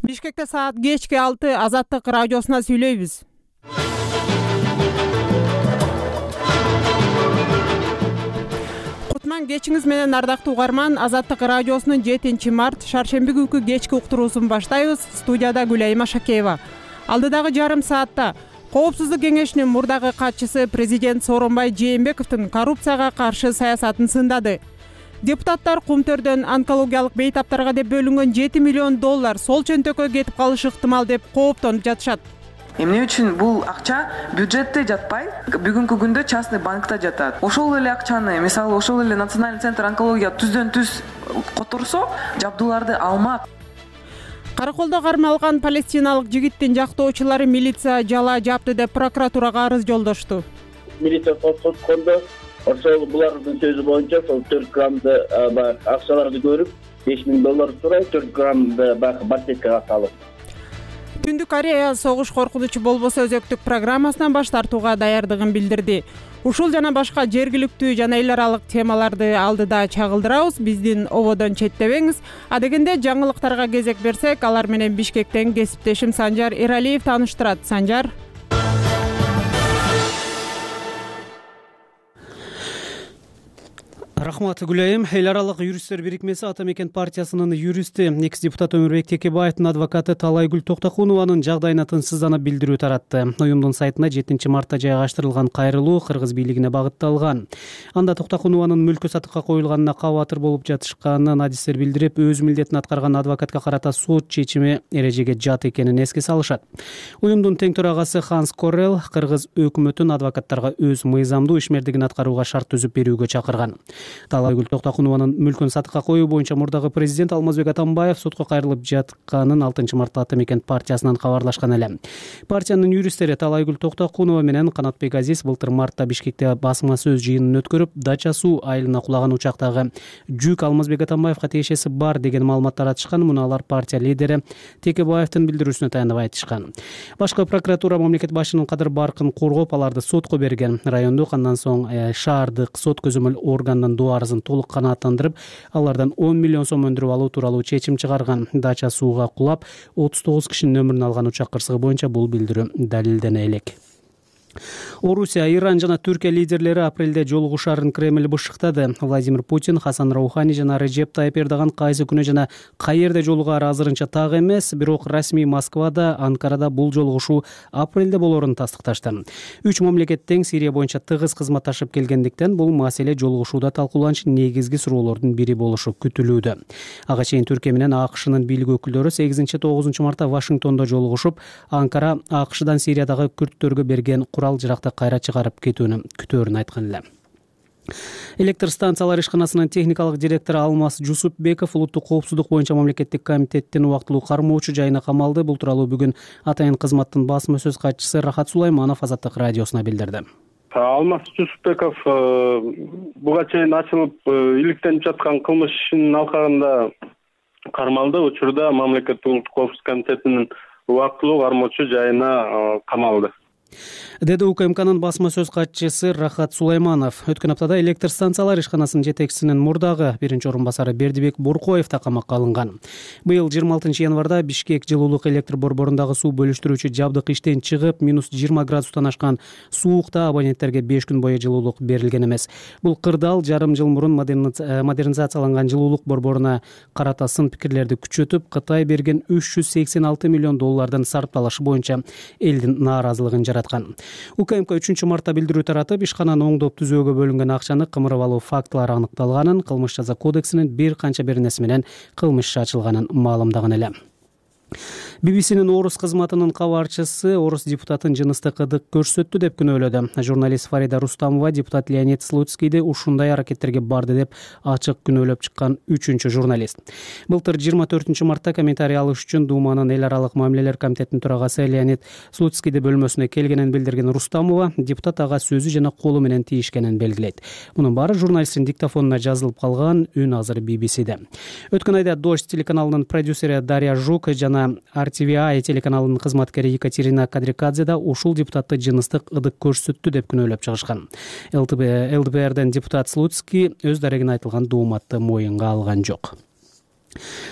Бишкекте саат кечки 6 Азаттык радиосуна сүйлөйбүз. Кутман кечиңиз менен ардактуу угарман. Азаттык радиосунун 7-март шаршемби күнкү кечки уктуруусун баштайбыз. Студияда Гүлайым Ашакеева. Алдыдагы жарым саатта Коопсуздук кеңешинин мурдагы катчысы президент Сооронбай Жээнбековдун коррупцияга каршы саясатын сындады. Депутаттар Кумтөрдөн онкологиялык бейтаптарга деп бөлүнгөн $7 миллион сол чөнтөккө кетип калышы ыктымал деп кооптонуп жатышат. Эмне үчүн бул акча бюджетте жатпай, бүгүнкү күндө частный банкта жатат? Ошол эле акчаны, мисалы, ошол эле Национальный центр онкология түздөн-түз которсо, жабдууларды алмак. Караколдо кармалган палестиналык жигиттин жактоочулары милиция жала жапты деп прокуратурага арыз жолдошту. Милиция соткондо ошол булардын сөзү боюнча сол 4 граммды акчаларды көрүп, $5 миң сурайт, 4 граммды барсеткага салып. Түндүк Корея согуш коркунучу болбосо өзөктүк программасынан баш тартууга даярдыгын билдирди. Ушул жана башка жергиликтүү жана эл аралык темаларды алдыда чагылдырабыз. Биздин ободон четтебеңиз. Адегенде жаңылыктарга кезек берсек, алар менен Бишкектен кесиптешим Санжар Эралиев тааныштырат. Санжар. Рахмат Гүлайым. Эл аралык юристтер бирикмеси Ата Мекен партиясынын юристи, экс-депутат Өмүрбек Текебаевдин адвокаты Талайгүл Токтокунованын жагдайына тынчсызданып билдирүү таратты. Уюмдун сайтына 7-мартта жайгаштырылган кайрылуу кыргыз бийлигине багытталган. Анда Токтокунованын мүлкү сатыкка коюлганына кабатыр болуп жатышканын адистер билдирип, өз милдетин аткарган адвокатка карата сот чечими эрежеге жат экенин эске салышат. Уюмдун тең төрагасы Ханс Коррел кыргыз өкмөтүн адвокаттарга өз мыйзамдуу ишмердигин аткарууга шарт түзүп берүүгө чакырган. Талайгүл Токтокунованын мүлкүн сатыкка коюу боюнча мурдагы президент Алмазбек Атамбаев сотко кайрылып жатканын 6-мартта Ата Мекен партиясынан кабарлашкан эле. Партиянын юристтери Талайгүл Токтокунова менен Канатбек Азиз былтыр мартта Бишкекте басма сөз жыйынын өткөрүп, Дача суу айылына кулаган учактагы жүк Алмазбек Атамбаевка тиешеси бар деген маалымат таратышкан. Муну алар партия лидери Текебаевдин билдирүүсүнө таянып айтышкан. Башкы прокуратура мамлекет башчынын кадыр баркын коргоп, аларды сотко берген. Райондук, андан соң шаардык сот көзөмөл органынан арызын толук канааттандырып, алардан 10 миллион сом өндүрүп алуу тууралуу чечим чыгарган. Дача сууга кулап 39 кишинин өмүрүн алган учак кырсыгы боюнча бул билдирүү далилдене элек. Орусия, Иран жана Түркия лидерлери апрелде жолугушаарын Кремль бышыктады. Владимир Путин, Хасан Раухани жана Режеп Тайып Эрдоган кайсы күнү жана каерде жолугаары азырынча так эмес, бирок расмий Москвада, Анкарада бул жолугушуу апрелде болоорун тастыкташты. 3 мамлекет тең Сирия боюнча тыгыз кызматташып келгендиктен бул маселе жолугушууда талкууланчу негизги суроолордун бири болушу күтүлүүдө. Ага чейин Түркия менен АКШнын бийлик өкүлдөрү 8-9 мартта Вашингтондо жолугушуп, Анкара АКШдан Сириядагы күрттөргө берген курал-жаракты кайра чыгарып кетүүнү күтөөрүн айткан эле. Электр станциялар ишканасынын техникалык директору Алмаз Жусупбеков улуттук коопсуздук боюнча мамлекеттик комитеттин убактылуу кармоочу жайына камалды. Бул тууралуу бүгүн Атайын кызматтын басма сөз катчысы Рахат Сулайманов Азаттык радиосуна билдирди. Алмаз Жусупбеков буга чейин ачылып иликтенип жаткан кылмыш ишинин алкагында кармалды. Учурда мамлекеттик улуттук коопсуздук комитетинин убактылуу кармоочу жайына камалды, деди УКМКнын басма сөз катчысы Рахат Сулайманов. Өткөн аптада электр станциялар ишканасынын жетекчисинин мурдагы биринчи орун басары Бердибек Буркоев да камакка алынган. Быйыл 26 январда Бишкек жылуулук электр борборундагы суу бөлүштүрүүчү жабдык иштен чыгып, -20 градустан ашкан суукта абоненттерге 5 күн бою жылуулук берилген эмес. Бул кырдаал жарым жыл мурун модернизацияланган жылуулук борборуна карата сын пикирлерди күчөтүп, Кытай берген $386 миллион сарпталышы боюнча элдин нааразылыгын жараткан. УКМК 3-мартта билдирүү таратып, ишкананы оңдоп түзөөгө бөлүнгөн акчаны кымырып алуу фактылары аныкталганын, кылмыш жаза кодексинин бир канча беренеси менен кылмыш иши ачылганын маалымдаган эле. ББСнин орус кызматынын кабарчысы орус депутатын жыныстык ыдык көрсөттү деп күнөөлөдү. Журналист Фарида Рустамова депутат Леонид Слуцкийди ушундай аракеттерге барды деп ачык күнөөлөп чыккан 3-чү журналист. Былтыр 24-мартта комментарий алыш үчүн Думанын эл аралык мамилелер комитетинин төрагасы Леонид Слуцкийди бөлмөсүнө келгенин билдирген Рустамова депутат ага сөзү жана колу менен тийишкенин белгилейт. Мунун баары журналисттин диктофонуна жазылып калган. Үн азыр ББСде. Өткөн айда Дождь телеканалынын продюсери Дарья Жук жана RTVI телеканалынын кызматкери Екатерина Кадрикадзе да ушул депутатты жыныстык ыдык көрсөттү деп күнөөлөп чыгышкан. ЛДПРден депутат Слуцкий өз дарегине айтылган дооматты моюнга алган жок.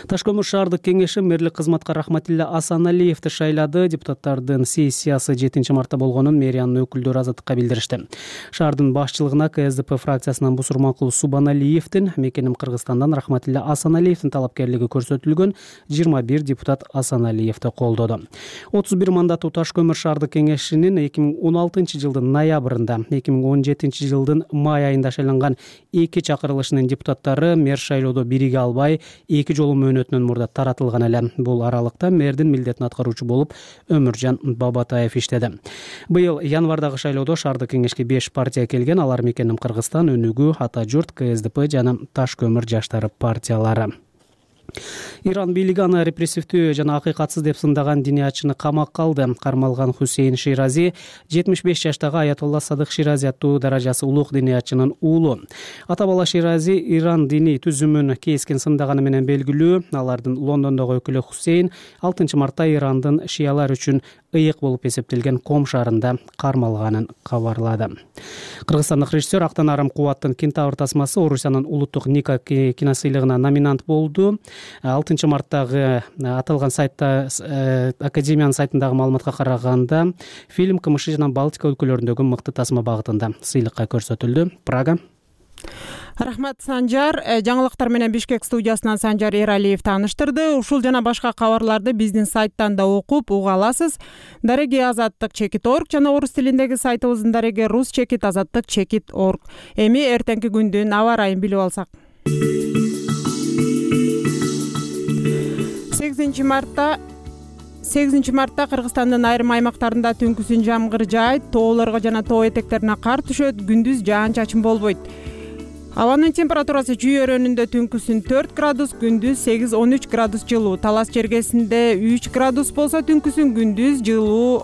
Таш көмүр шаардык кеңеши мэрлик кызматка Рахматилла Асаналиевди шайлады. Депутаттардын сессиясы 7 мартта болгонун мэриянын өкүлдөрү Азаттыкка билдиришти. Шаардын башчылыгына КСДП фракциясынын Бусурманкул Субаналиевдин, Мекеним Кыргызстандан Рахматилла Асаналиевдин талапкерлиги көрсөтүлгөн 21 депутат Асаналиевди колдоду. 31 мандаттуу Таш көмүр шаардык кеңешинин 2016 жылдын ноябрында, 2017 жылдын май айында шайланган 2 чакырылышынын депутаттары мэр шайлоодо бириге албай, 2 жолу мөөнөтүнөн мурда таратылган эле. Бул аралыкта мэрдин милдетин аткаруучу болуп Өмүржан Бабатаев иштеди. Быйыл январдагы шайлоодо шаардык кеңешке 5 партия келген. Алар Мекеним Кыргызстан, Өнүгүү, Ата журт, КСДП жана Таш көмүр жаштары партиялары. Иран бийлиги аны репрессивдүү жана акыйкатсыз деп сындаган диниячыны камакка алды. Кармалган Хусейн Ширази 75 жаштагы Аятолла Садык Ширази аттуу даражасы улуг диниячынын уулу. Ата бала Ширази Иран диний түзүмүн кескен сындаганы менен белгилүү. Алардын Лондондогу өкүлү Хусейн 6 мартта Ирандын шиялар үчүн ыйык болуп эсептелген Ком шаарында кармалганын кабарлады. Кыргызстандык режиссер Актан Арам Кубаттын Кентавр тасмасы Орусиянын улуттук Ника киносыйлыгына номинант болду. 6 марттагы аталган сайтта Академиянын сайтындагы маалыматка караганда фильм КМШ жана Балтика өлкөлөрүндөгү мыкты тасма багытында сыйлыкка көрсөтүлдү. Прага. Рахмат, Санжар. Жаңылыктар менен Бишкек студиясынан Санжар Эралиев тааныштырды. Ушул жана башка кабарларды биздин сайттан да окуп уга аласыз. Дареги Азаттык.org жана орус тилиндеги сайтыбыздын дареги rus.azаттык.org. Эми эртеңки күндүн аба ырайын билип алсак. 8 мартта Кыргызстандын айрым аймактарында түнкүсүн жамгыр жаайт, тоолорго жана тоо этектерине кар түшөт, күндүз жаан-чачын болбойт. Абанын температурасы Чүй өрөөнүндө түнкүсүн 4 градус, күндүз 8-13 градус жылуу. Талас чергесинде 3 градус болсо, түнкүсүн күндүз жылуу,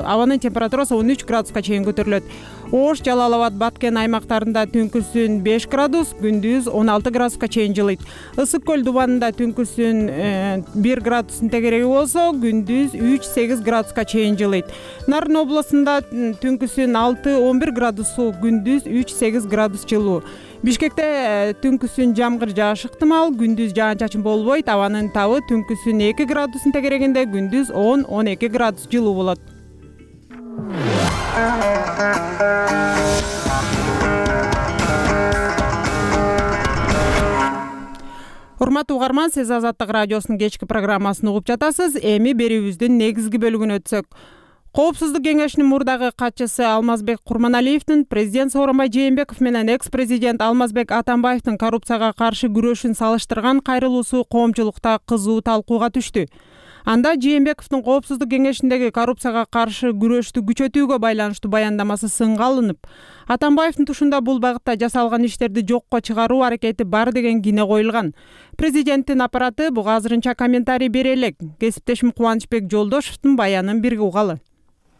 абанын температурасы 13 градуска чейин көтөрүлөт. Ош, Жалал Абад, Баткен аймактарында түнкүсүн 5 градус, күндүз 16 градуска чейин жылыйт. Ысык көл Дубанында түнкүсүн 1 градустун тегереги болсо, күндүз 3-8 градуска чейин жылыйт. Нарын областында түнкүсүн 6-11 градус суык, күндүз 3-8 градус жылуу. Бишкекте түнкүсүн жамгыр жаашы ыктымал, күндүз жаан-чачын болбойт. Абанын табы түнкүсүн 2 градустун тегерегинде, күндүз 10-12 градус жылуу болот. Урматтуу угарман, сиз Азаттык радиосунун кечки программасын угуп жатасыз. Эми берүүбүздүн негизги бөлүгүнө өтсөк. Коопсуздук кеңешинин мурдагы катчысы Алмазбек Курманалиевдин президент Сооронбай Жээнбеков менен экс-президент Алмазбек Атамбаевдин коррупцияга каршы күрөшүн салыштырган кайрылуусу коомчулукта кызуу талкууга түштү. Анда Жээнбековдун Коопсуздук кеңешиндеги коррупцияга каршы күрөштү күчөтүүгө байланыштуу баяндамасы сынга алынып, Атамбаевдин тушунда бул багытта жасалган иштерди жокко чыгаруу аракети бар деген кине коюлган. Президенттин аппараты буга азырынча комментарий бере элек. Кесиптешим Кубанычбек Жолдошевдун баянын бирге угалы.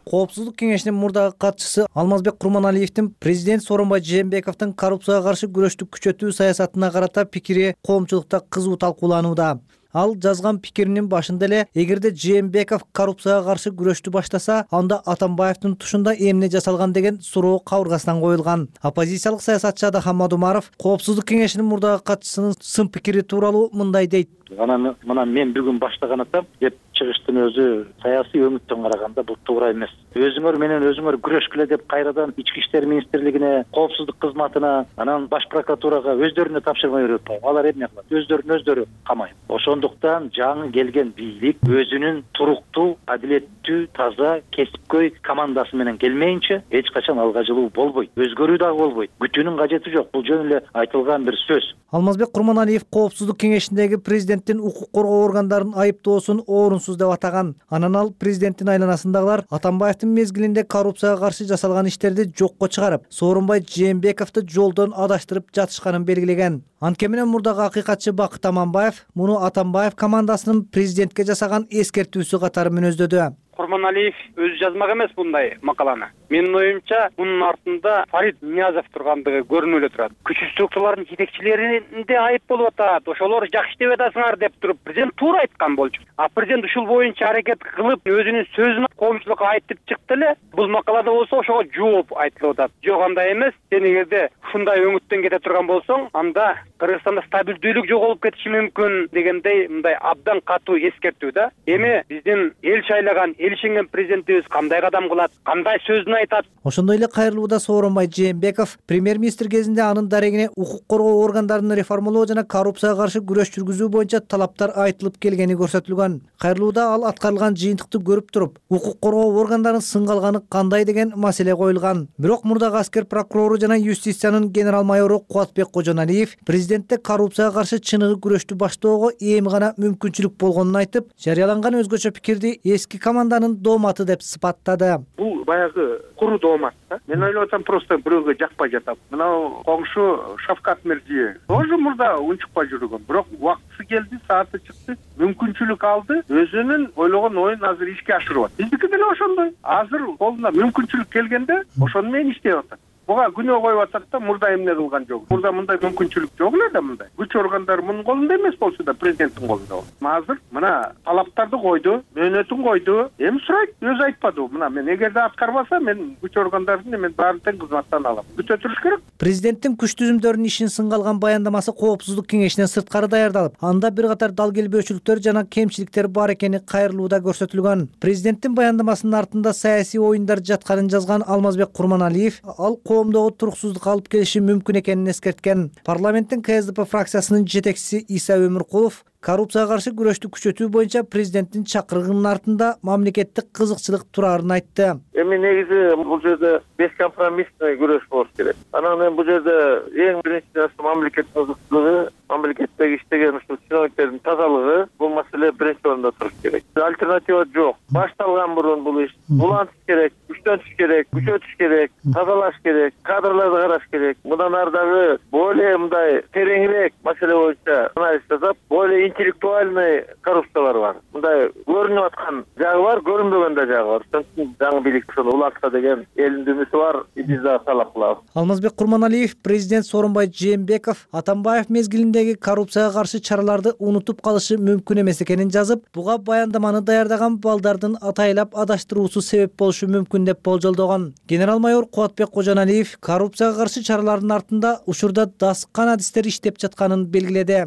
Коопсуздук кеңешинин мурдагы катчысы Алмазбек Курманалиевдин президент Сооронбай Жээнбековдун коррупцияга каршы күрөштү күчөтүү саясатына карата пикири коомчулукта кызуу талкууланууда. Ал жазган пикиринин башында эле, эгерде Жээнбеков коррупцияга каршы күрөштү баштаса, анда Атамбаевдин тушунда эмне жасалган деген суроо кабыргасынан коюлган. Оппозициялык саясатчы Адахам Адумаров Коопсуздук кеңешинин мурдагы катчысынын сын пикири тууралуу мындай дейт. Мына мен бүгүн баштаган атам деп чыгыштын өзү саясий өңүттөн караганда бул туура эмес. Өзүңөр менен өзүңөр күрөшкүлө деп кайрадан Ички иштер министрлигине, коопсуздук кызматына, анан баш прокуратурага өздөрүнө тапшырма берип атпайбы? Алар эмне кылат? Өздөрүн өздөрү камайт. Ошондуктан жаңы келген бийлик өзүнүн туруктуу, адилеттүү, таза, кесипкөй командасы менен келмейинче эч качан алга жылуу болбойт. Өзгөрүү дагы болбойт. Күтүүнүн кажети жок. Бул жөн эле айтылган бир сөз. Алмазбек Курманалиев Коопсуздук кеңешиндеги президенттин укук коргоо органдарын айыптоосун орунсуз деп атаган. Анан ал президенттин айланасындагылар Атамбаевдин мезгилинде коррупцияга каршы жасалган иштерди жокко чыгарып, Сооронбай Жээнбековду жолдон адаштырып жатышканын белгилеген. Анткени менен мурдагы акыйкатчы Бакыт Аманбаев муну Атамбаев командасынын президентке жасаган эскертүүсү катары мүнөздөдү. Курманалиев өзү жазмак эмес мындай макаланы. Менин оюмча мунун артында Фарид Ниязов тургандыгы көрүнүп эле турат. Күчтүү структуралардын жетекчилеринде айып болуп атат. Ошолор жакшы деп атасыңар деп туруп президент туура айткан болчу. А президент ушул боюнча аракет кылып өзүнүн сөзүн коомчулукка айтып чыкты эле. Бул макалада болсо ошого жооп айтылып атат. Жок, андай эмес. Сен эгерде ушундай өңүттөн кете турган болсоң, анда Кыргызстанда стабилдүүлүк жоголуп кетиши мүмкүн дегендей мындай абдан катуу эскертүү да. Эми биздин эл шайлаган, эл ишенген президентибиз кандай кадам кылат, кандай сөзүн айтат. Ошондой эле кайрылууда Сооронбай Жээнбеков премьер-министр кезинде анын дарегине укук коргоо органдарын реформалоо жана коррупцияга каршы күрөш жүргүзүү боюнча талаптар айтылып келгени көрсөтүлгөн. Кайрылууда ал аткарылган жыйынтыкты көрүп туруп, укук коргоо органдарын сынга алганы кандай деген маселе коюлган. Бирок мурдагы аскер прокурору жана юстициянын генерал майору Кубатбек Кожоналиев президентте коррупцияга каршы чыныгы күрөштү баштоого эми гана мүмкүнчүлүк болгонун айтып, жарыяланган өзгөчө пикирди эски команданын дооматы деп сыпаттады. Бул баягы куру доомат да. Мен ойлоп атам, просто бирөөгө жакпай жатам. Мына коңшу Шавкат Мирзиев тоже мурда унчукпай жүргөн, бирок убактысы келди, сааты чыкты, мүмкүнчүлүк алды, өзүнүн ойлогон оюн азыр ишке ашырып атат. Биздики деле ошондой. Азыр колуна мүмкүнчүлүк келгенде ошону менен иштеп атат. Буга күнөө коюп атат да, мурда эмне кылган жок. Мурда мындай мүмкүнчүлүк жок эле да, мындай. Күч органдары мунун колунда эмес болчу да, президенттин колунда. Азыр мына талаптарды койду, мөөнөтүн койду. Эми сурайт, өзү айтпады. Мына мен эгерде аткарбаса, мен күч органдарын мен баарын тең кызматтан алам. Күтө туруш керек. Президенттин күч түзүмдөрүнүн ишин сынга алган баяндамасы Коопсуздук кеңешинен сырткары даярдалып, анда бир катар дал келбөөчүлүктөр жана кемчиликтер бар экени кайрылууда көрсөтүлгөн. Президенттин баяндамасынын артында саясий оюндар жатканын жазган Алмазбек Курманалиев ал коомдогу туруксуздук алып келиши мүмкүн экенин эскерткен. Парламенттин КСДП фракциясынын жетекчиси Иса Өмүркулов коррупцияга каршы күрөштү күчөтүү боюнча президенттин чакырыгынын артында мамлекеттик кызыкчылык турарын айтты. Эми негизи бул жерде бескомпромиссный күрөш болуш керек. Анан эми бул жерде эң биринчи нерсе мамлекеттик кызыкчылыгы, мамлекеттеги иштеген ушул чиновниктердин тазалыгы, бул маселе биринчи орунда туруш керек. Альтернатива жок. Башталган мурун бул иш улантыш керек, күчтөнтүш керек, күчөтүш керек, тазалаш керек, кадрларды караш керек. Мындан ары дагы более мындай тереңирээк маселе боюнча анализ жасап, более интеллектуальный коррупциялар бар. Мындай көрүнүп аткан жагы бар, көрүнбөгөн да жагы бар. Ошон үчүн жаңы бийлик ушуну улантса деген элдин үмүтү бар, биз дагы талап кылабыз. Алмазбек Курманалиев президент Сооронбай Жээнбеков Атамбаев мезгилиндеги коррупцияга каршы чараларды унутуп калышы мүмкүн эмес экенин жазып, буга баяндаманы даярдаган балдардын атайлап адаштыруусу себеп болушу мүмкүн деп болжолдогон. Генерал майор Кубатбек Кожоналиев коррупцияга каршы чаралардын артында учурда дасыккан адистер иштеп жатканын белгиледи.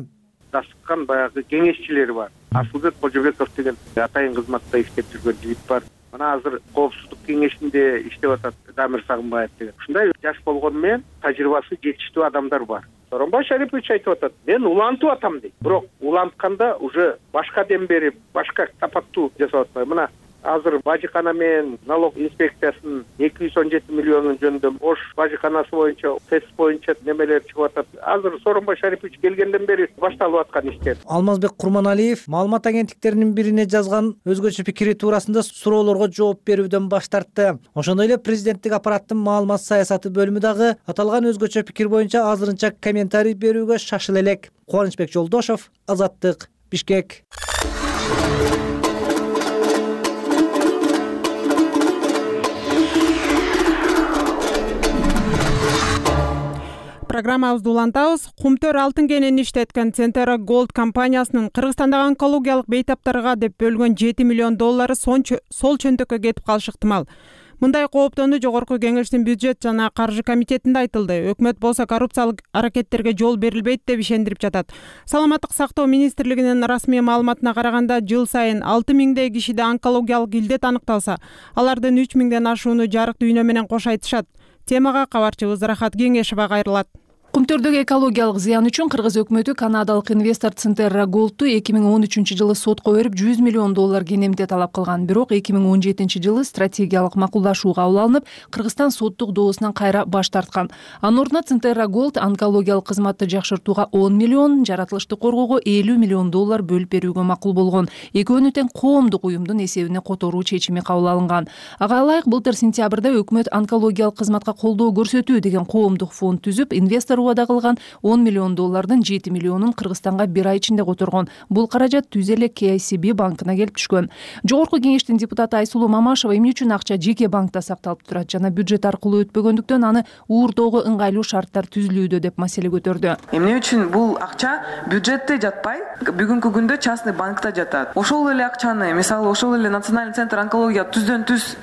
Дасыккан баягы кеңешчилери бар. Асылбек Кожобеков деген атайын кызматта иштеп жүргөн жигит бар. Мына азыр Коопсуздук кеңешинде иштеп атат Дамир Сагынбаев деген. Ушундай жаш болгону менен тажрыйбасы жетиштүү адамдар бар. Сооронбай Шарипович айтып атат, мен улантып атам дейт. Бирок улантканда уже башка дем берип, башка тапаттуу жасап атпайбы. Мына азыр бажыкана менен налог инспекциясынын 217 миллионун жөнүндө ош бажыканасы боюнча, тест боюнча немелер чыгып атат. Азыр Сооронбай Шарипович келгенден бери башталып аткан иштер. Алмазбек Курманалиев маалымат агенттиктеринин бирине жазган өзгөчө пикири туурасында суроолорго жооп берүүдөн баш тартты. Ошондой эле президенттик аппараттын маалымат саясаты бөлүмү дагы аталган өзгөчө пикир боюнча азырынча комментарий берүүгө шашыла элек. Кубанычбек Жолдошов, Азаттык, Бишкек. Программабызды улантабыз. Кумтөр алтын кенен иштеткен Центера Gold компаниясынын Кыргызстандагы онкологиялык бейтаптарга деп бөлгөн 7 миллион доллары сол чөнтөккө кетип калышы ыктымал. Мындай кооптонуу Жогорку Кеңештин бюджет жана каржы комитетинде айтылды. Өкмөт болсо коррупциялык аракеттерге жол берилбейт деп ишендирип жатат. Саламаттык сактоо министрлигинин расмий маалыматына караганда, жыл сайын 6 миңдей кишиде онкологиялык илдет аныкталса, алардын 3 миңден ашууну жарык дүйнө менен кош айтышат. Темага кабарчыбыз Рахат Кеңешева кайрылат. Кумтөрдөгү экологиялык зыян үчүн Кыргыз өкмөтү канадалык инвестор Центера Gold'ту 2013-жылы сотко берип 100 миллион доллар кенемде талап кылган. Бирок 2017-жылы стратегиялык макулдашуу кабыл алынып, Кыргызстан соттук доосунан кайра баш тарткан. Анын ордуна Центера Gold онкологиялык кызматты жакшыртууга 10 миллион, жаратылышты коргоого 50 миллион доллар бөлүп берүүгө макул болгон. Экөөнү тең коомдук уюмдун эсебине которуу чечими кабыл алынган. Ага ылайык былтыр сентябрда өкмөт онкологиялык кызматка колдоо көрсөтүү деген коомдук фонд түзүп, инвестор убада кылган 10 миллион доллардын 7 миллионун Кыргызстанга бир ай ичинде которгон. Бул каражат түз эле KCB банкына келип түшкөн. Жогорку кеңештин депутаты Айсулуу Мамашева эмне үчүн акча жеке банкта сакталып турат жана бюджет аркылуу өтпөгөндүктөн аны уурдоого ыңгайлуу шарттар түзүлүүдө деп маселе көтөрдү. Эмне үчүн бул акча бюджетте жатпай, бүгүнкү күндө частный банкта жатат. Ошол эле акчаны, мисалы ошол эле Национальный центр онкология түздөн-түз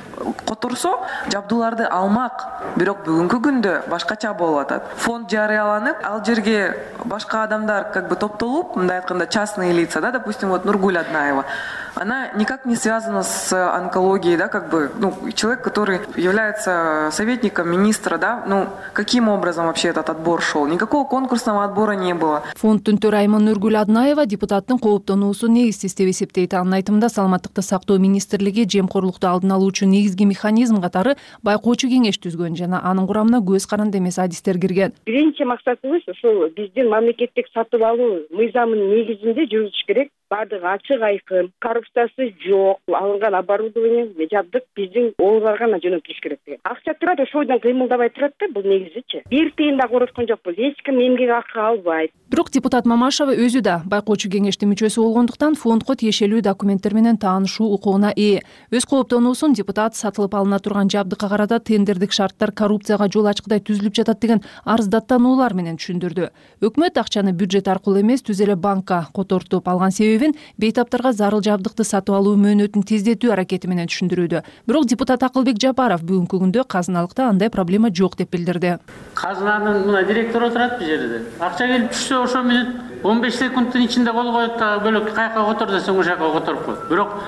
которсо, жабдууларды алмак. Бирок бүгүнкү күндө башкача болуп атат. Фонд жарыяланып, ал жерге башка адамдар топтолуп, мындай айтканда частные лица, да, допустим, вот Нургуль Аднаева. Она никак не связана с онкологией, да, человек, который является советником министра, да, каким образом вообще этот отбор шел? Никакого конкурсного отбора не было. Фонддун төрайымы Нургуль Аднаева депутаттын кооптонуусу негизсиз деп эсептейт. Анын айтымында Саламаттыкты сактоо министрлиги жемкорлукту алдын алуу үчүн негизги механизм катары байкоочу кеңеш түзгөн жана анын курамына көз каранды эмес адистер кирген. Биринчи максатыбыз ошол биздин мамлекеттик сатып алуу мыйзамынын негизинде жүрүш керек. Бардыгы ачык айкын, коррупциясы жок, алынган оборудование, жабдык биздин оолдарга гана жөнөтүлүш керек деген. Акча турат, ошойдон кыймылдабай турат да, бул негизичи. Бир тыйын да короткон жокпуз, эч ким эмгек акы албайт. Бирок депутат Мамашева өзү да байкоочу кеңештин мүчөсү болгондуктан фондко тиешелүү документтер менен таанышуу укугуна ээ. Өз кооптонуусун депутат сатылып алына турган жабдыкка карата тендердик шарттар коррупцияга жол ачкыдай түзүлүп жатат деген арыздаттануулар менен түшүндүрдү. Өкмөт акчаны бюджет аркылуу эмес, түз эле банкка котортуп алган себебин бейтаптарга зарыл жабдыкты сатып алуу мөөнөтүн тездетүү аракети менен түшүндүрүүдө. Бирок депутат Акылбек Жапаров бүгүнкү күндө казыналыкта андай проблема жок деп билдирди. Казынанын мына директору отурат бул жерде. Акча келип түшсө ошо менен 15 секундтун ичинде кол коет да бөлөк каяка котор десең ошол жака которуп коет. Бирок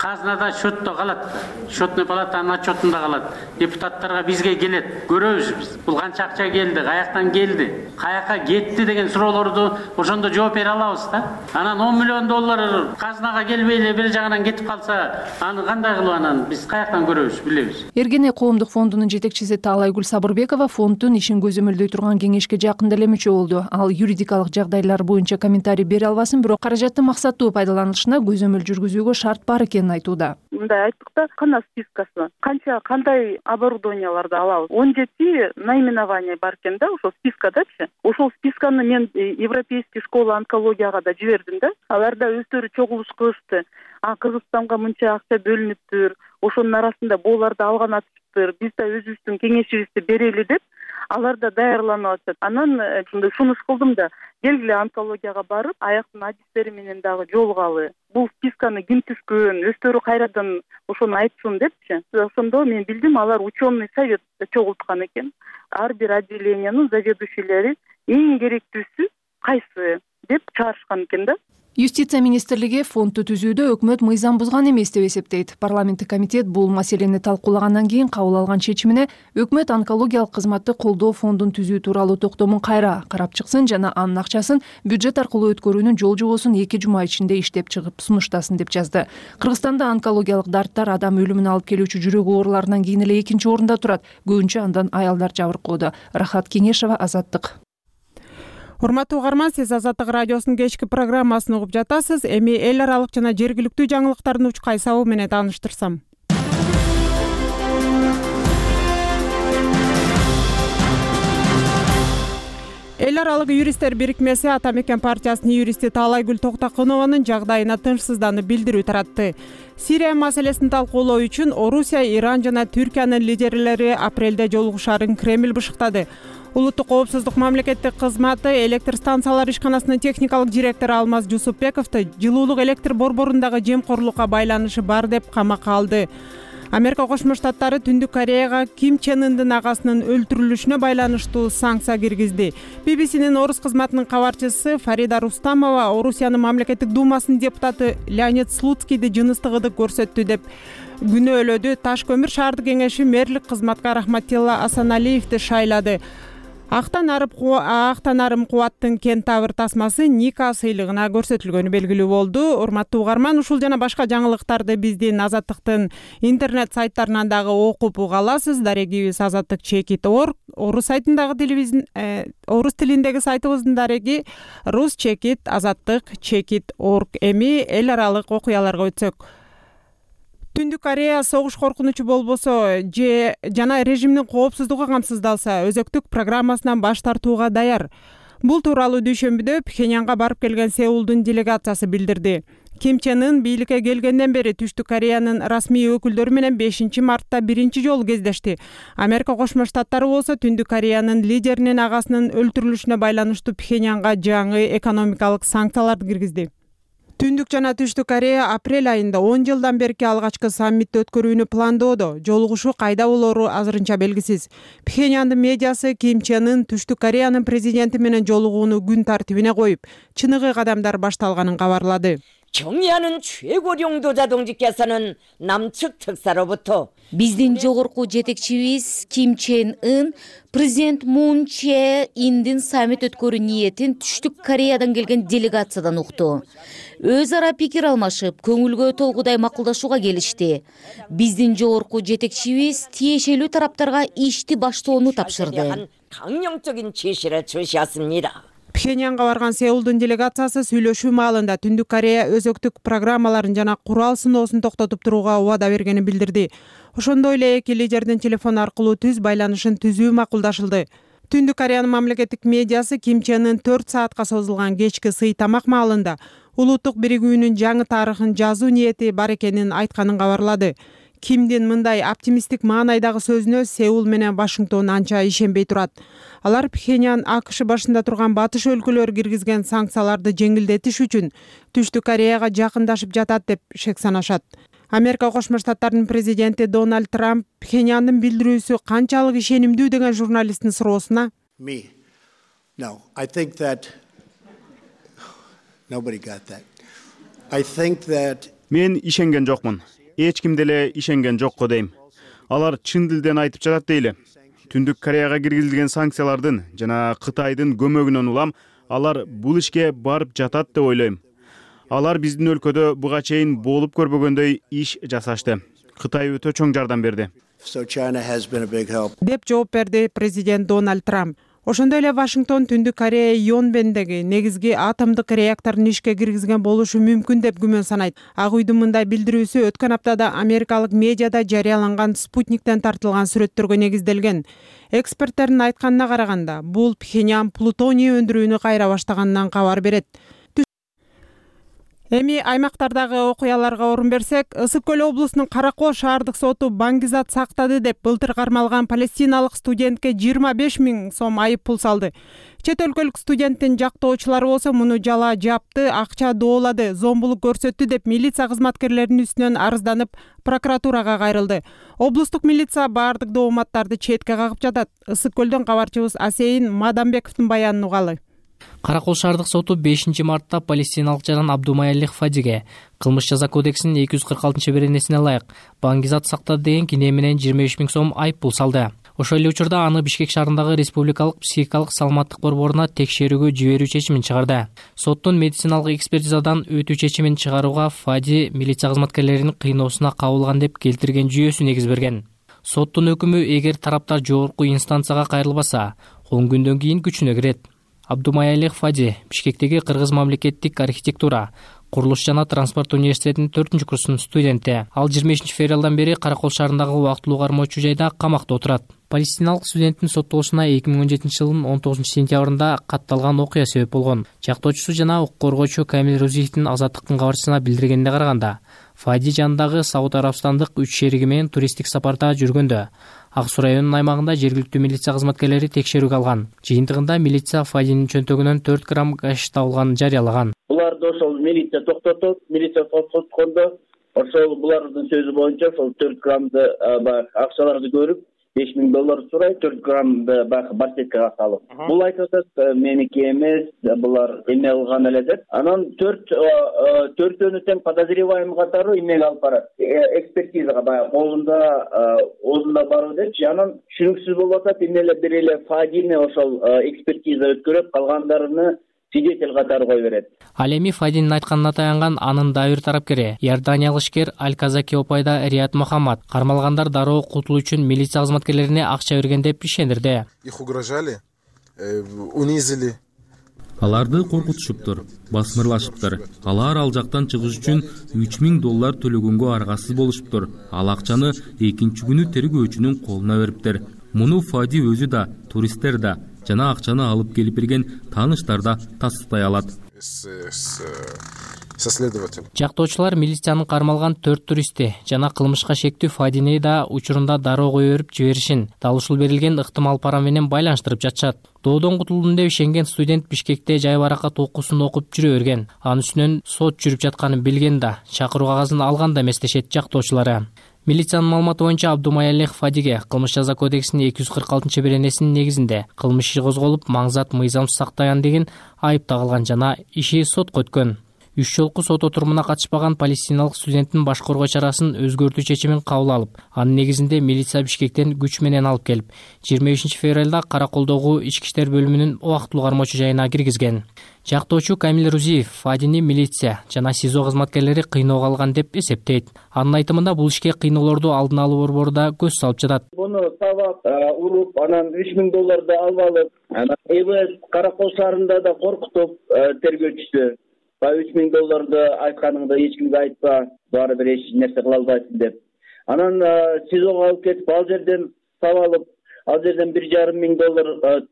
казынада счетто калат. Счетный палатанын отчетунда калат. Депутаттарга бизге келет. Көрөбүз биз. Бул канча акча келди, каяктан келди, каяка кетти деген суроолорду ошондо жооп бере алабыз да. Анан 10 миллион доллар казынага келбей эле бир жагынан кетип калса, аны кандай кылып анан биз каяктан көрөбүз, билебиз. Эргене коомдук фондунун жетекчиси Таалайгүл Сабырбекова фонддун ишин көзөмөлдөй турган кеңешке жакында эле мүчө болду. Ал юридикалык жагдайлар боюнча комментарий бере албасын, бирок каражаттын максаттуу пайдаланылышына көзөмөл жүргүзүүгө шарт бар экенин айтууда. Мындай айттыкта, кана спискасы, кандай оборудованияларды алабыз. 17 наименование бар экен да, ошол спискадачы. Ошол списканы мен Европейский школа онкологияга да жибердим да. Аларда өздөрү чогулуш кылышты. Кыргызстанга мынча акча бөлүнүптүр, ошонун арасында боларды алган атыптыр, биз да өзүбүздүн кеңешибизди берели деп, алар да даярланып атат. Анан сунуш кылдым да, келгиле онкологияга барып, аяктын адистери менен дагы жолугалы. Бул списканы ким түзгөн, өздөрү кайрадан ошону айтсын депчи. Ошондо мен билдим, алар ученый совет чогулткан экен. Ар бир отделениянын заведующийлери эң керектүүсү кайсы деп чыгарышкан экен да. Юстиция министрлиги фондду түзүүдө өкмөт мыйзам бузган эмес деп эсептейт. Парламенттик комитет бул маселени талкуулагандан кийин кабыл алган чечимине өкмөт онкологиялык кызматты колдоо фондун түзүү тууралуу токтомун кайра карап чыксын жана анын акчасын бюджет аркылуу өткөрүүнүн жол жобосун 2 жума ичинде иштеп чыгып сунуштасын деп жазды. Кыргызстанда онкологиялык дарттар адам өлүмүнө алып келүүчү жүрөк ооруларынан кийин эле 2-чи орунда турат. Көбүнчө андан аялдар жабыркоодо. Рахат Кеңешева, Азаттык. Урматтуу угарман, сиз Азаттык радиосунун кечки программасын угуп жатасыз. Эми эл аралык жана жергиликтүү жаңылыктардын уч кайсабы менен тааныштырсам. Эл аралык юристтер бирикмеси Ата Мекен партиясынын юристи Таалайгүл Токтокунованын жагдайына тынчсызданып билдирүү таратты. Сирия маселесин талкуулоо үчүн Орусия, Иран жана Түркиянын лидерлери апрелде жолугушаарын Кремль бышыктады. Улуттук коопсуздук мамлекеттик кызматы электр станциялары ишканасынын техникалык директору Алмаз Жусупбековду жылуулук электр борборундагы жемкорлукка байланышы бар деп камакка алды. Америка Кошмо Штаттары Түндүк Кореяга Ким Чен Ындын агасынын өлтүрүлүшүнө байланыштуу санкция киргизди. BBC'нин орус кызматынын кабарчысы Фарида Рустамова Орусиянын мамлекеттик думасынын депутаты Леонид Слуцкийди жыныстык ыдык көрсөттү деп күнөөлөдү. Таш көмүр шаардык кеңеши мэрлик кызматка Рахматилла Асаналиевди шайлады. Актан арым кубаттын кентавр тасмасы Ника сыйлыгына көрсөтүлгөнү белгилүү болду. Урматтуу угарман, ушул жана башка жаңылыктарды биздин Азаттыктын интернет сайттарынан дагы окуп уга аласыз. Дарегибиз azattik.org, орус сайтындагы орус тилиндеги сайтыбыздын дареги rus.azattik.org. Эми эл аралык окуяларга өтсөк. Түндүк Корея согуш коркунучу болбосо же жана режимдин коопсуздугу камсыздалса өзөктүк программасынан баш тартууга даяр. Бул тууралуу дүйшөмбүдө Пхеньянга барып келген Сеулдун делегациясы билдирди. Ким Чен Ын бийликке келгенден бери Түштүк Кореянын расмий өкүлдөрү менен 5-мартта биринчи жолу кездешти. Америка Кошмо Штаттары болсо Түндүк Кореянын лидеринин агасынын өлтүрүлүшүнө байланыштуу Пхеньянга жаңы экономикалык санкцияларды киргизди. Түндүк жана Түштүк Корея апрель айында 10 жылдан берки алгачкы саммитти өткөрүүнү пландоодо. Жолугушуу кайда болору азырынча белгисиз. Пхеньяндын медиасы Ким Чен Ын Түштүк Кореянын президенти менен жолугууну күн тартибине коюп, чыныгы кадамдар башталганын кабарлады. 정의하는 최고領導者동지께서는 남측 특사로부터 биздин жогорку жетекчибиз Ким Чен Ын президент Мун Чже Индин саммит өткөрүү ниетин Түштүк Кореядан келген делегациядан укту. Өз ара пикир алмашып, көңүлгө толгудай макулдашууга келишти. Биздин жогорку жетекчибиз тиешелүү тараптарга ишти баштоону тапшырды. 강령적인 지시를 주시었습니다. Пхеньянга барган Сеулдун делегациясы сүйлөшүү маалында Түндүк Корея өзөктүк программаларын жана курал сыноосун токтотуп турууга убада бергенин билдирди. Ошондой эле эки лидердин телефон аркылуу түз байланышын түзүү макулдашылды. Түндүк Кореянын мамлекеттик медиасы Ким Чен Ын 4 саатка созулган кечки сый тамак маалында улуттук биригүүнүн жаңы тарыхын жазуу ниети бар экенин айтканын кабарлады. Кимдин мындай оптимисттик маанайдагы сөзүнө Сеул менен Вашингтон анча ишенбей турат. Алар Пхеньян АКШ башында турган батыш өлкөлөр киргизген санкцияларды жеңилдетиш үчүн Түштүк Кореяга жакындашып жатат деп шек санашат. Америка Кошмо Штаттарынын президенти Дональд Трамп Пхеньяндын билдирүүсү канчалык ишенимдүү деген журналисттин суроосуна мен ишенген жокмун. Эч ким деле ишенген жок го дейм. Алар чын дилден айтып жатат дейли. Түндүк Кореяга киргизилген санкциялардын жана Кытайдын көмөгүнөн улам алар бул ишке барып жатат деп ойлойм. Алар биздин өлкөдө буга чейин болуп көрбөгөндөй иш жасашты. Кытай өтө чоң жардам берди. деп жооп берди президент Дональд Трамп. Ошондой эле Вашингтон Түндүк Корея Йонбендеги негизги атомдук реакторун ишке киргизген болушу мүмкүн деп күмөн санайт. Ак үйдүн мындай билдирүүсү өткөн аптада америкалык медиада жарыяланган спутниктен тартылган сүрөттөргө негизделген. Эксперттердин айтканына караганда, бул Пхеньян плутоний өндүрүүнү кайра баштаганынан кабар берет. Эми аймактардагы окуяларга орун берсек, Ысык көл облусунун Каракол шаардык соту Баңгизат сактады деп былтыр кармалган палестиналык студентке 25 000 сом айып пул салды. Чет өлкөлүк студенттин жактоочулары болсо муну жала жапты, акча доолады, зомбулук көрсөттү деп милиция кызматкерлеринин үстүнөн арызданып, прокуратурага кайрылды. Облустук милиция баардык дооматтарды четке кагып жатат. Ысык көлдөн кабарчыбыз Асейин Мадамбековдун баянын угалы. Каракол шаардык соту 5-мартта палестиналык жаран Абдумаялих Фадиге кылмыш жаза кодексинин 246-беренесине ылайык Баңгизат сактады деген кине менен 25 000 сом айып пул салды. Ошол эле учурда аны Бишкек шаарындагы Республикалык психикалык саламаттык борборуна текшерүүгө жиберүү чечимин чыгарды. Соттун медициналык экспертизадан өтүү чечимин чыгарууга Фади милиция кызматкерлеринин кыйноосуна кабылган деп келтирген жүйөсү негиз берген. Соттун өкүмү эгер тараптар жогорку инстанцияга кайрылбаса, 10 күндөн кийин күчүнө кирет. Абдумаялих Фади Бишкектеги Кыргыз мамлекеттик архитектура, курулуш жана транспорт университетинин 4-курсунун студенти. Ал 23 февралдан бери Каракол шаарындагы убактылуу кармоочу жайда камакта отурат. Палестиналык студенттин соттолушуна 2017 жылдын 19 сентябрында катталган окуя себеп болгон. Жактоочусу жана укук коргоочу Камил Розиевдин Азаттыктын кабарчысына билдиргенине караганда, Фади жанындагы Сауд Арабстандык 3 шериги менен туристтик сапарда жүргөндө Ак Суу районунун аймагында жергиликтүү милиция кызматкерлери текшерүүгө алган. Жыйынтыгында милиция Фадинин чөнтөгүнөн 4 грамм гаш табылганын жарыялаган. Буларды ошол милиция токтотуп, милиция токтоткондо ошол булардын сөзү боюнча ошол 4 граммды акчаларды көрүп, $5000 сурай, 4 граммды барсеткага салып. Бул айтып атат, меники эмес, булар эме кылган эле деп. Анан төртөөнү тең подозреваемый катары эмеге алып барат. Экспертизага баягы оозунда баруу депчи. Анан түшүнүксүз болуп атат, эмеле бир эле Фадини ошол экспертиза өткөрүп, калгандарыны свидетель катары кое берет. Ал эми Фадинин айтканына таянган анын дайыр тарапкери Иорданиялык ишкер Аль-Казаки опайда Рият Мухаммад кармалгандар дароо кутулуу үчүн милиция кызматкерлерине акча берген деп ишендирди. Их угрожали, унизили. Аларды коркутушуптур, басмырлашыптыр. Алар ал жактан чыгыш үчүн $3000 төлөгөнгө аргасыз болушуптур. Ал акчаны экинчи күнү тергөөчүнүн колуна бериптир. Муну Фади өзү да, туристтер да жана акчаны алып келип берген тааныштар да тастыктай алат. Жактоочулар милициянын кармалган 4 туристти жана кылмышка шектүү Фадини да учурунда дароо кое берип жиберишин, дал ушул берилген ыктымал пара менен байланыштырып жатышат. Доодон кутулдум деп ишенген студент Бишкекте жай баракат окуусун окуп жүрө берген. Анын үстүнөн сот жүрүп жатканын билген да, чакыруу кагазын алган да эместешет жактоочулары. Милициянын маалыматы боюнча Абдумаялих Фадиге кылмыш жаза кодексинин 246-беренесинин негизинде кылмыш иши козголуп, маңзат мыйзамсыз сактаган деген айып тагылган жана иши сотко өткөн. 3 жолку сот отурумуна катышпаган палестиналык студенттин баш коргоо чарасын өзгөртүү чечимин кабыл алып, анын негизинде милиция Бишкектен күч менен алып келип, 25 февралда Караколдогу ички иштер бөлүмүнүн убактылуу кармоочу жайына киргизген. Жактоочу Камил Рузиев Фадини милиция жана СИЗО кызматкерлери кыйноого алган деп эсептейт. Анын айтымында бул ишке кыйноолорду алдын алуу борбору да көз салып жатат. Буну табап, уруп, анан $3000 алып алып, анан ЭБС Каракол шаарында да коркутуп тергөөчүсү $3000 айтканыңды эч кимге айтпа, баары бир эч нерсе кыла албайсың деп. Анан СИЗОго алып кетип, ал жерден табалып, ал жерден $1,500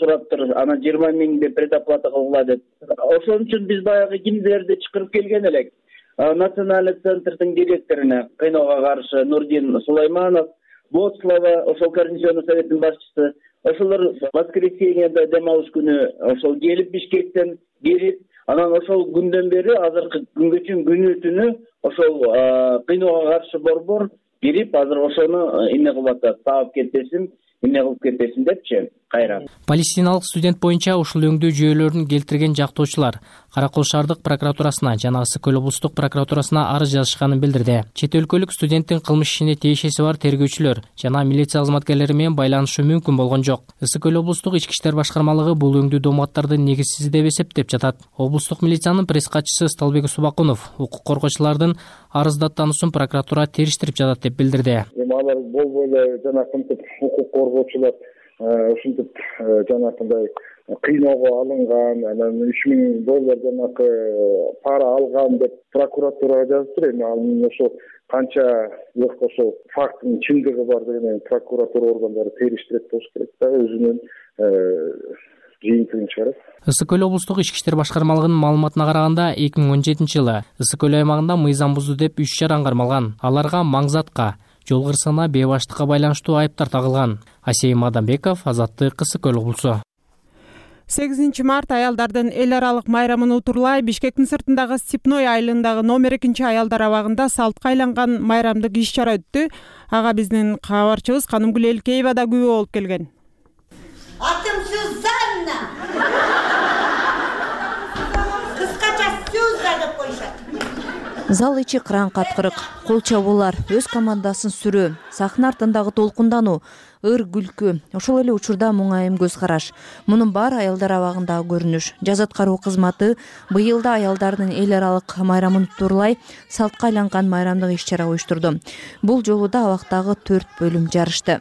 сураптыр, анан 20,000 деп предоплата кылгыла деп. Ошон үчүн биз баягы кимдерди чакырып келген элек. Национальный центрдин директоруна кыйноого каршы Нурдин Сулайманов, Боцлава, ошол Координационный советтин башчысы, ошолор воскресеньеде дем алыш күнү ошол келип Бишкектен кирип, анан ошол күндөн бери азыркы күнгө чейин күнү түнү ошол кыйноого каршы борбор кирип, азыр ошону эмне кылып атат, таап кетесиң, эмне кылып кетесиң депчи кайра. Палестиналык студент боюнча ушул өңдүү жүйөлөрүн келтирген жактоочулар Каракол шаардык прокуратурасына жана Ысык Көл облустук прокуратурасына арыз жазышканын билдирди. Чет өлкөлүк студенттин кылмыш ишине тиешеси бар тергөөчүлөр жана милиция кызматкерлери менен байланышы мүмкүн болгон жок. Ысык Көл облустук ички иштер башкармалыгы бул өңдүү дооматтарды негизсиз деп эсептеп жатат. Облустук милициянын пресс катчысы Сталбек Субакунов укук коргоочулардын арыздаттануусун прокуратура териштирип жатат деп билдирди. Алар болбой эле жанакынтип укук коргоочулар ушинтип жанакындай кыйноого алынган, анан $3000 жанакы пара алган деп прокуратурага жазыптыр. Эми анын ошо канча ошол фактынын чындыгы бар деген прокуратура органдары териштирет болуш керек да, өзүнүн жыйынтыгын чыгарат. Ысык Көл облустук ички иштер башкармалыгынын маалыматына караганда 2017-жылы Ысык Көл аймагында мыйзам бузду деп 3 жаран кармалган. Аларга маңзатка, жол кырсыгына, бейбаштыкка байланыштуу айыптар тагылган. Асейим Адамбеков, Азаттык, Ысык Көл облусу. 8 март аялдардын эл аралык майрамын утурлай Бишкектин сыртындагы Степной айылындагы номер 2 аялдар абагында салтка айланган майрамдык иш чара өттү. Ага биздин кабарчыбыз Канымгүл Элкеева да күбө болуп келген. Атым Сюзанна. Кыскача Сюза деп коюшат. Зал ичи кыран каткырык, кол чабуулар, өз командасын сүрөө, сахна артындагы толкундануу, ыр күлкү, ошол эле учурда муңайым көз караш. Мунун баары аялдар абагындагы көрүнүш. Жаз аткаруу кызматы быйылда аялдардын эл аралык майрамын турлай салтка айланган майрамдык иш чара уюштурду. Бул жолу да абактагы 4 бөлүм жарышты.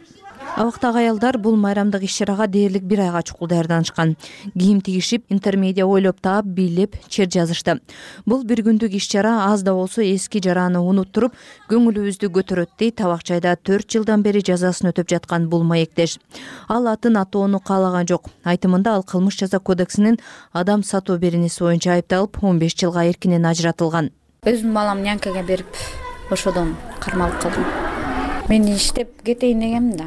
Абактагы аялдар бул майрамдык иш чарага дээрлик 1 айга чукул даярданышкан. Кийим тигишип, интермедиа ойлоп таап, бийлеп, чер жазышты. Бул бир күндүк иш чара аз да болсо эски жараны унуттуруп, көңүлүбүздү көтөрөт дейт Табакчайда 4 жылдан бери жазасын өтөп жаткан бул маектеш. Ал атын атоону каалаган жок. Айтымында ал кылмыш жаза кодексинин адам сатуу беренеси боюнча айыпталып, 15 жылга эркинен ажыратылган. Өзүм балам нянкага берип, ошодон кармалып калдым. Мен иштеп кетейин дегем да.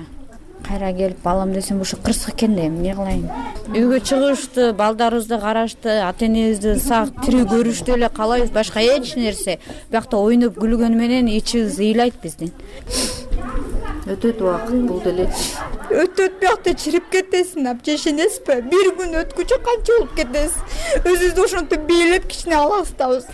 Кайра келип балам десем, ушу кырсык экен да, эмне кылайын? Үйгө чыгышты, балдарыбызды карашты, ата-энебизди сак тирүү көрүштү эле каалайбыз, башка эч нерсе. Биякта ойноп күлгөнү менен ичибиз ыйлайт биздин. Өтөт убакыт бул деле. Өтөт, биякта чирип кетесиң, апчешенесизби? Бир күн өткүчө канча болуп кетесиз? Өзүбүздү ошентип бийлеп кичине аластабыз.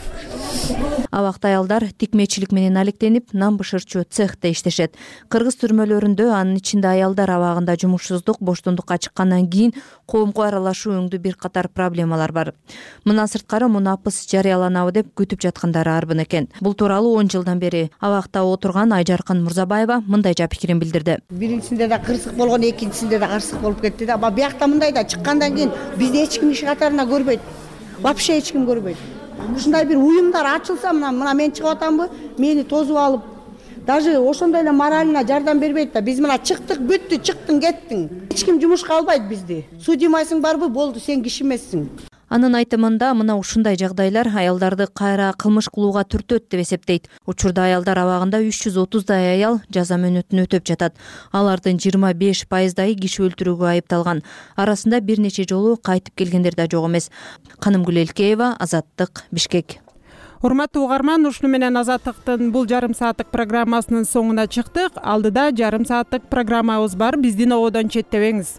Абакта аялдар тикмечилик менен алектенип, нан бышырчу цехте иштешет. Кыргыз түрмөлөрүндө, анын ичинде аялдар абагында жумушсуздук, боштондукка чыккандан кийин коомго аралашуу өңдүү бир катар проблемалар бар. Мындан сырткары муну апыс жарыяланабы деп күтүп жаткандары арбын экен. Бул тууралуу 10 жылдан бери абакта отурган Айжаркын Мурзабаева мындай пикирин билдирди. Биринчисинде да кырсык болгон, экинчисинде да каршылык болуп кетти да. Биякта мындай да чыккандан кийин бизди эч ким иш катарына көрбөйт. Вообще эч ким көрбөйт. Ушундай бир уюмдар ачылса, мына мен чыгып атамбы, мени тосуп алып, даже ошондой эле моралына жардам бербейт да. Биз мына чыктык, бүттү, чыктың, кеттиң. Эч ким жумушка албайт бизди. Судимайсың барбы, болду, сен киши эмессиң. Анын айтымында мына ушундай жагдайлар аялдарды кайра кылмыш кылууга түртөт деп эсептейт. Учурда аялдар абагында 330дай аял жаза мөөнөтүн өтөп жатат. Алардын 25%дай киши өлтүрүүгө айыпталган. Арасында бир нече жолу кайтып келгендер да жок эмес. Канымгүл Элкеева, Азаттык, Бишкек. Урматтуу угарман, ушуну менен Азаттыктын бул жарым сааттык программасынын соңуна чыктык. Алдыда жарым сааттык программабыз бар. Биздин ободон четтебеңиз.